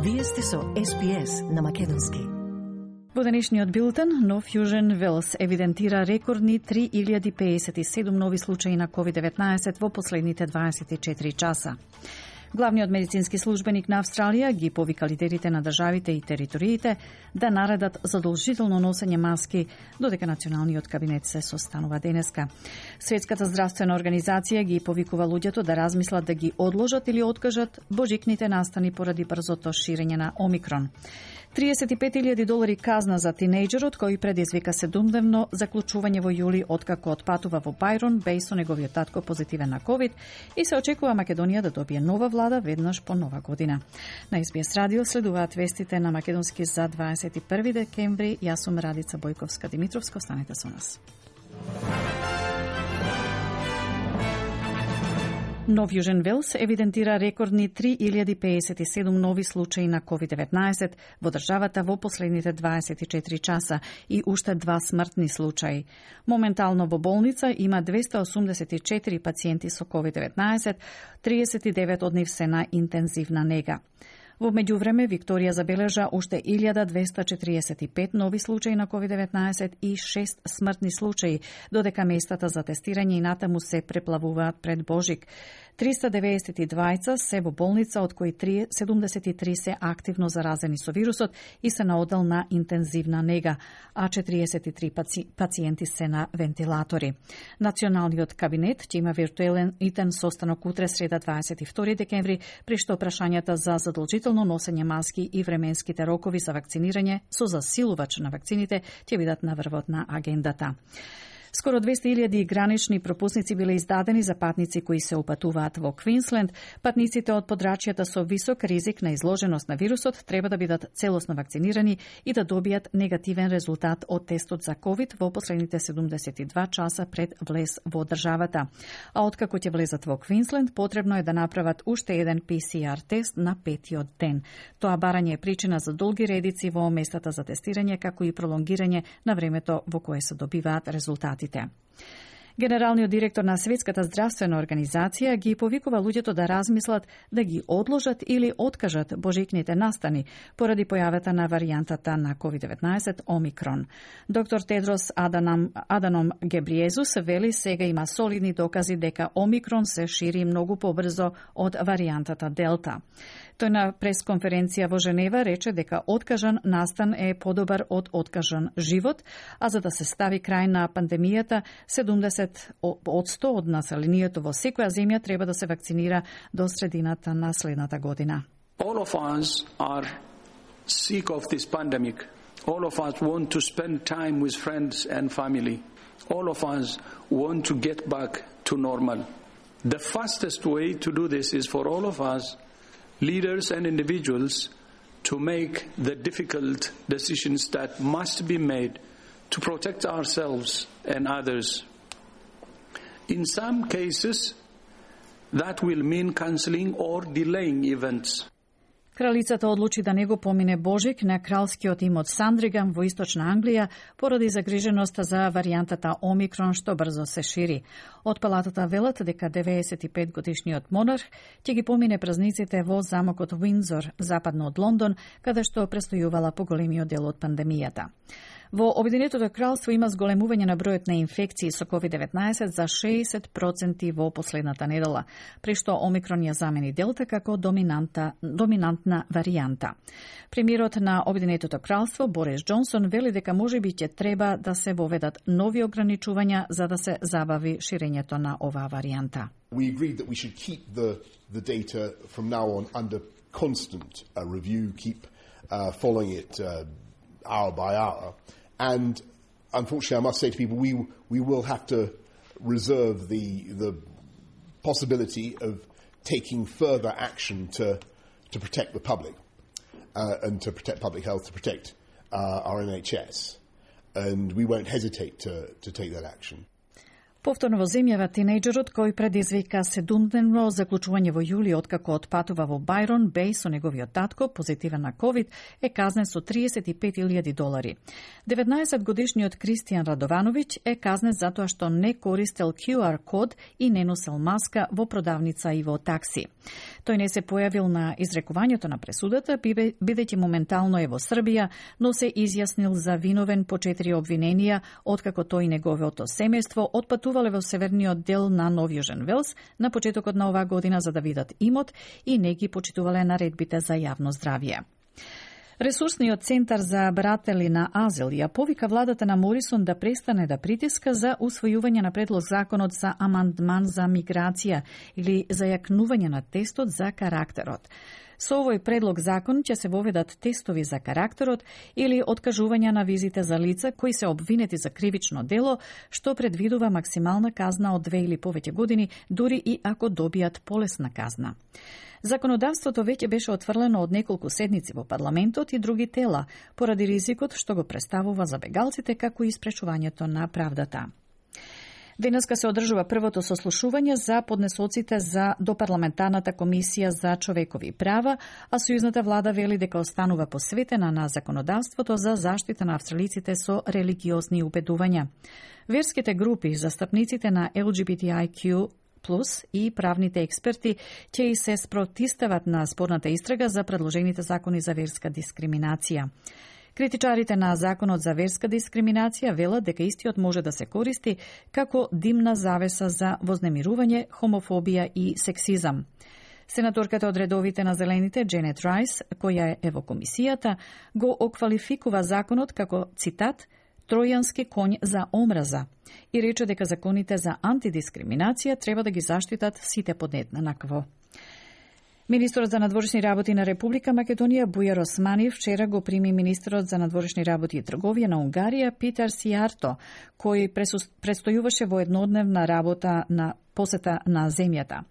Вие сте со SPS на македонски. Во денешниот билтен, Нов Јужен Велс евидентира рекордни 3057 нови случаи на COVID-19 во последните 24 часа. Главниот медицински службеник на Австралија ги повика лидерите на државите и териториите да наредат задолжително носење маски, додека националниот кабинет се состанува денеска. Светската здравствена организација ги повикува луѓето да размислат да ги одложат или откажат божикните настани поради брзото ширење на Омикрон. $35,000 казна за тинејџерот кој предизвика 7-дневно заклучување во јули откако отпатува во Бајрон беј со неговиот татко позитивен на COVID и се очекува Македонија да добие нова влада веднаш по нова година. На SBS радио следуваат вестите на македонски за 21 декември. Јас сум Радица Бојковска-Димитровска, останете со нас. Нов Јужен Велс евидентира рекордни 3057 нови случаи на COVID-19 во државата во последните 24 часа и уште 2 смртни случаи. Моментално во болница има 284 пациенти со COVID-19, 39 од нив се на интензивна нега. Во меѓувреме, Викторија забележа уште 1245 нови случаи на COVID-19 и 6 смртни случаи, додека местата за тестирање и натаму се преплавуваат пред Божик. 392 се во болница, од кои 73 се активно заразени со вирусот и се на оддел на интензивна нега, а 43 пациенти се на вентилатори. Националниот кабинет ќе има виртуелен итен состанок утре среда 22 декември, при што прашањата за задолжително носење маски и временските рокови за вакцинирање со засилувач на вакцините ќе бидат на врвот на агендата. Скоро 200,000 гранични пропусници биле издадени за патници кои се упатуваат во Квинсленд. Патниците од подрачјата со висок ризик на изложеност на вирусот треба да бидат целосно вакцинирани и да добијат негативен резултат од тестот за COVID во последните 72 часа пред влез во државата. А откако ќе влезат во Квинсленд, потребно е да направат уште еден PCR тест на 5-тиот ден. Тоа барање е причина за долги редици во местата за тестирање, како и пролонгирање на времето во кое се добиваат резултати. Генералниот директор на Светската здравствена организација ги повикува луѓето да размислат да ги одложат или откажат божикните настани поради појавата на варијантата на COVID-19 Омикрон. Доктор Тедрос Аданом Гебриезус вели сега има солидни докази дека Омикрон се шири многу побрзо од варијантата Делта. Тој на пресконференција во Женева рече дека откажан настан е подобар од откажан живот, а за да се стави крај на пандемијата, 70% од населението во секоја земја треба да се вакцинира до средината на следната година. All of us are sick of this pandemic. All of us want to spend time with friends and family. All of us want to get back to normal. The fastest way to do this is for all of us, leaders and individuals, to make the difficult decisions that must be made to protect ourselves and others. In some cases, that will mean cancelling or delaying events. Кралицата одлучи да не го помине Божик на кралскиот им од Сандриган во источна Англија поради загриженоста за варијантата Омикрон што брзо се шири. Од палатата велат дека 95 годишниот монарх ќе ги помине празниците во замокот Уиндзор, западно од Лондон, каде што престојувала поголемиот дел од пандемијата. Во Обединетото кралство има зголемување на бројот на инфекции со COVID-19 за 60% во последната недела, при што Омикрон ја замени Делта како доминантна варијанта. Премиерот на Обединетото кралство Борис Џонсон вели дека можеби ќе треба да се воведат нови ограничувања за да се забави ширењето на оваа варијанта. We agreed that we should keep the data from now on under constant review, keep following it hour by hour. And unfortunately, I must say to people, we will have to reserve the possibility of taking further action to protect the public and to protect public health, to protect our NHS. And we won't hesitate to take that action. Повторно во земјава тинејџерот кој предизвика 7-дневно заклучување во јули откако отпатува во Бајрон Беј со неговиот татко, позитивен на ковид, е казнен со $35,000. 19-годишниот Кристијан Радовановиќ е казнен затоа што не користел QR код и не носел маска во продавница и во такси. Тој не се појавил на изрекувањето на пресудата, бидејќи моментално е во Србија, но се изјаснил за виновен по 4 обвиненија, откако тој и неговото семејство отпатувале во северниот дел на Нов Јужен Велс на почетокот на оваа година за да видат имот и не ги почитувале наредбите за јавно здравје. Ресурсниот центар за баратели на азил ја повика владата на Морисон да престане да притиска за усвојување на предлог законот за амандман за миграција или зајакнување на тестот за карактерот. Со овој предлог закон ќе се воведат тестови за карактерот или откажување на визите за лица кои се обвинети за кривично дело, што предвидува максимална казна од 2 или повеќе години, дури и ако добијат полесна казна. Законодавството веќе беше отфрлено од неколку седници во парламентот и други тела, поради ризикот што го представува за бегалците како и испречувањето на правдата. Денеска се одржува првото сослушување за поднесоците за допарламентарната комисија за човекови права, а сојузната влада вели дека останува посветена на законодавството за заштита на австралиците со религиозни убедувања. Верските групи, застапниците на LGBTIQ+ и правните експерти ќе и се спротивстават на спорната истрага за предложените закони за верска дискриминација. Критичарите на законот за верска дискриминација велат дека истиот може да се користи како димна завеса за вознемирување, хомофобија и сексизам. Сенаторката од редовите на Зелените, Дженет Райс, која е во комисијата, го оквалификува законот како, цитат, тројански коњ за омраза и рече дека законите за антидискриминација треба да ги заштитат сите подеднакво. Министерот за надворешни работи на Република Македонија Бујар Османи вчера го прими министерот за надворешни работи и трговија на Унгарија Питер Сијарто, кој престојуваше во еднодневна работа на посета на земјата.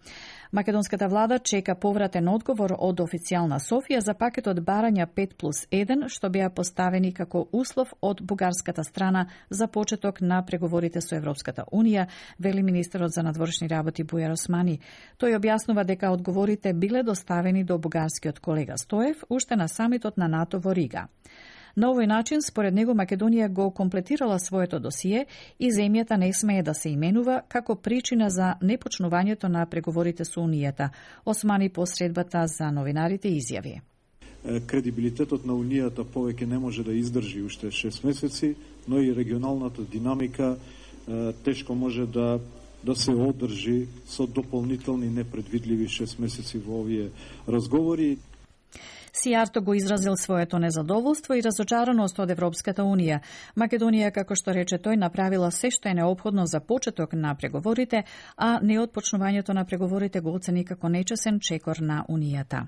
Македонската влада чека повратен одговор од официјална Софија за пакетот барања 5+1, што беа поставени како услов од бугарската страна за почеток на преговорите со Европската Унија, вели министерот за надворешни работи Бујар Османи. Тој објаснува дека одговорите биле доставени до бугарскиот колега Стоев уште на самитот на НАТО во Рига. На овој начин, според него, Македонија го комплетирала своето досие и земјата не смее да се именува како причина за непочнувањето на преговорите со Унијата. Османи по средбата за новинарите изјави. Кредибилитетот на Унијата повеќе не може да издржи уште 6 месеци, но и регионалната динамика тешко може да се одржи со дополнителни непредвидливи 6 месеци во овие разговори. Сијарто го изразил своето незадоволство и разочараност од Европската Унија. Македонија, како што рече тој, направила се што е неопходно за почеток на преговорите, а неотпочнувањето на преговорите го оцени како нечесен чекор на Унијата.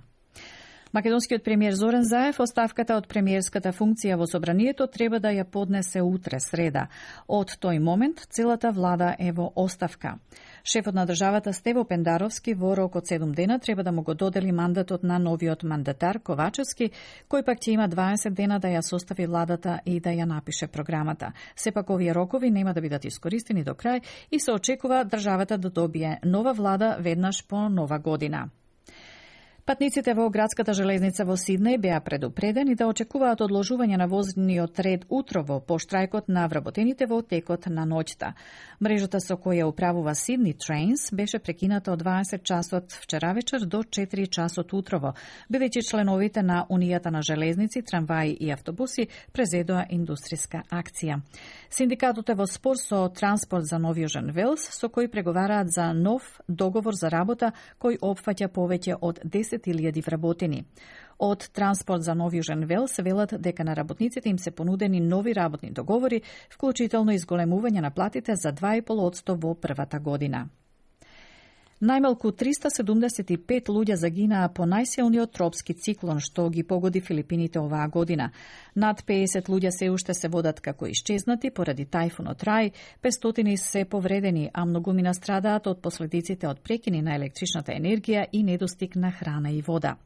Македонскиот премиер Зоран Заев оставката од премиерската функција во собранието треба да ја поднесе утре среда. Од тој момент целата влада е во оставка. Шефот на државата Стево Пендаровски во рок од 7 дена треба да му го додели мандатот на новиот мандатар Ковачевски, кој пак ќе има 20 дена да ја состави владата и да ја напише програмата. Сепак овие рокови нема да бидат искористени до крај и се очекува државата да добие нова влада веднаш по нова година. Патниците во градската железница во Сиднеј беа предупредени да очекуваат одложување на возниот ред утрово по штрајкот на вработените во текот на ноќта. Мрежата со која управува Сидни Trains беше прекината од 20 часот вчера вечер до 4 часот утрово, бидејќи членовите на Унијата на железници, трамваи и автобуси презедоа индустријска акција. Синдикатот е во спор со Транспорт за Нов Јужен Велс, со кој преговараат за нов договор за работа кој опфаќа повеќе од 10.000 вработени. Од Транспорт за Нов Јужен Велс велат дека на работниците им се понудени нови работни договори, вклучително изголемување на платите за 2,5% во првата година. Најмалку 375 луѓе загинаа по најсилниот тропски циклон што ги погоди Филипините оваа година. Над 50 луѓе се уште се водат како исчезнати поради тајфунот Рај, 500 се повредени, а многумина страдаат од последиците од прекини на електричната енергија и недостиг на храна и вода.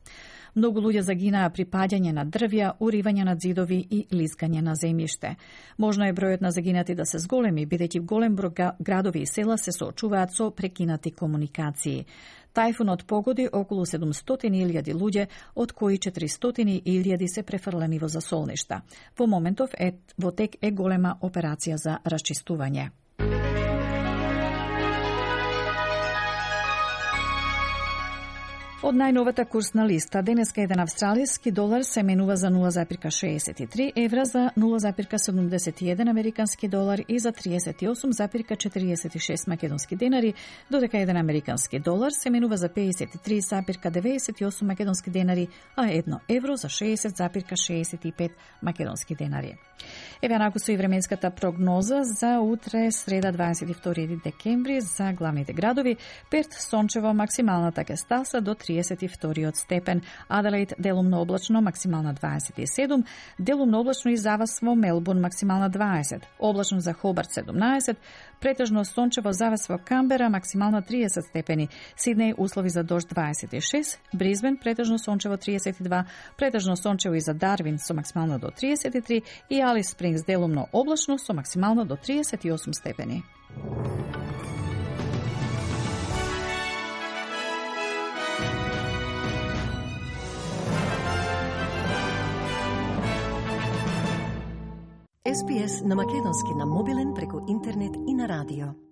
Многу луѓе загинаа при паѓање на дрвја, уривање на ѕидови и лизгање на земјиште. Можно е бројот на загинати да се зголеми, бидејќи голем број градови и села се соочуваат со прекинати комуникации. Тајфунот погоди околу 700.000 луѓе, од кои 400.000 се префрлени во засолништа. Во моментов во тек е голема операција за расчистување. Од најновата курсна листа, денеска еден австралиски долар се менува за 0,63 евра, за 0,71 американски долар и за 38,46 македонски денари, додека еден американски долар се менува за 53,98 македонски денари, а 1 евро за 60,65 македонски денари. Еве онаку со и временската прогноза за утре, среда 22 декември, за главните градови: Перт сончево, максималната ќе стаса до 32 степен, Аделаид делумно облачно, максимална 27, делумно облачно и завас во Мелбурн, максимална 20, облачно за Хобарт 17, претежно сончево завас во Камбера, максимална 30 степени, Сиднеј услови за дожд 26, Бризбен претежно сончево 32, претежно сончево и за Дарвин со максимална до 33 и Алис Спрингс делумно облачно со максимална до 38 степени. SPS на македонски на мобилен преку интернет и на радио.